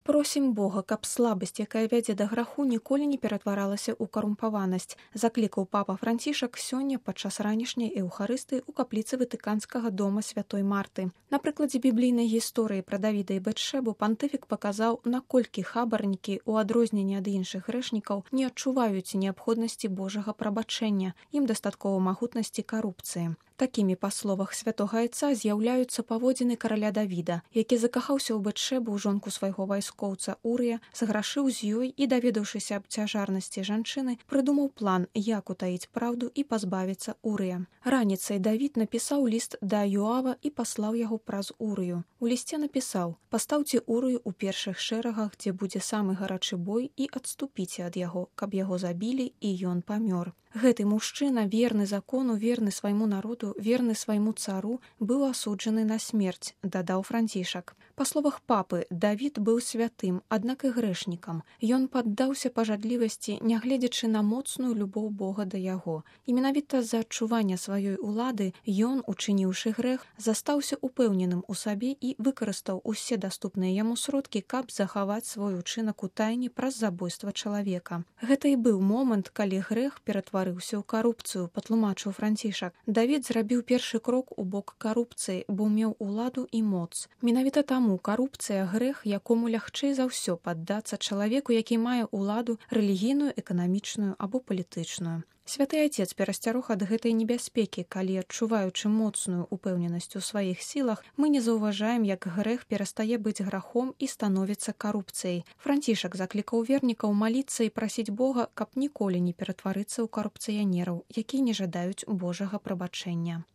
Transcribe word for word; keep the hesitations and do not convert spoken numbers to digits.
Просім Бога, каб слабасць, якая вядзе да граху, ніколі не ператваралася ў карумпаванасць, заклікаў папа Францішак сёння падчас ранішняй эўхарыстыі ў капліцы ватыканскага дома святой Марты. На прыкладзе біблійнай гісторыі пра Давіда і Бэтшэбу пантыфік паказаў, наколькі хабарнікі, у адрозненне ад іншых грэшнікаў, не адчуваюць неабходнасці Божага прабачэння, ім дастаткова магутнасці карупцыі. Такімі, па словах святога айца, з'яўляюцца паводзіны караля Давіда, які закахаўся ў Бэтшэбу, жонку свайго вайскоўца Урыя, зграшыў з ёй і, даведаўшыся аб цяжарнасці жанчыны, прыдумаў план, як утаіць праўду і пазбавіцца Урыя. Раніцай Давід напісаў ліст да Йоава і паслаў яго праз Урыю. У лісце напісаў: «Пастаўце Урыю ў першых шэрагах, дзе будзе самы гарачы бой, і адступіце ад яго, каб яго забілі і ён памёр». Гэты мужчына, верны закону, верны свайму народу, верны свайму цару, быў асуджаны на смерць, дадаў Францішак. Па словах папы, Давід быў святым, аднак і грэшнікам. Ён паддаўся пажадлівасці, нягледзячы на моцную любоў Бога да яго. І менавіта з-за адчування сваёй улады ён, учыніўшы грэх, застаўся упэўненым у сабе і выкарыстаў усе даступныя яму сродкі, каб захаваць свой учынак у тайне праз забойства чалавека. Гэта і быў момант, калі грэх ператварыўся ў карупцыю, патлумачыў Францішак. Давід зрабіў першы крок у бок карупцыі, бо меў уладу і моц. Менавіта таму карупцыя грэх, якому лягчэй за ўсё паддацца чалавеку, які мае уладу рэлігійную, эканамічную або палітычную. Святы айцец перасцярог ад гэтай небяспекі, калі, адчуваючы моцную упэўненасць у сваіх сілах, мы не заўважаем, як грэх перастае быць грахом і становіцца карупцыяй. Францішак заклікаў вернікаў маліцца і прасіць Бога, каб ніколі не ператварыцца ў карупцыянераў, якія не жадаюць Божага прабачэння.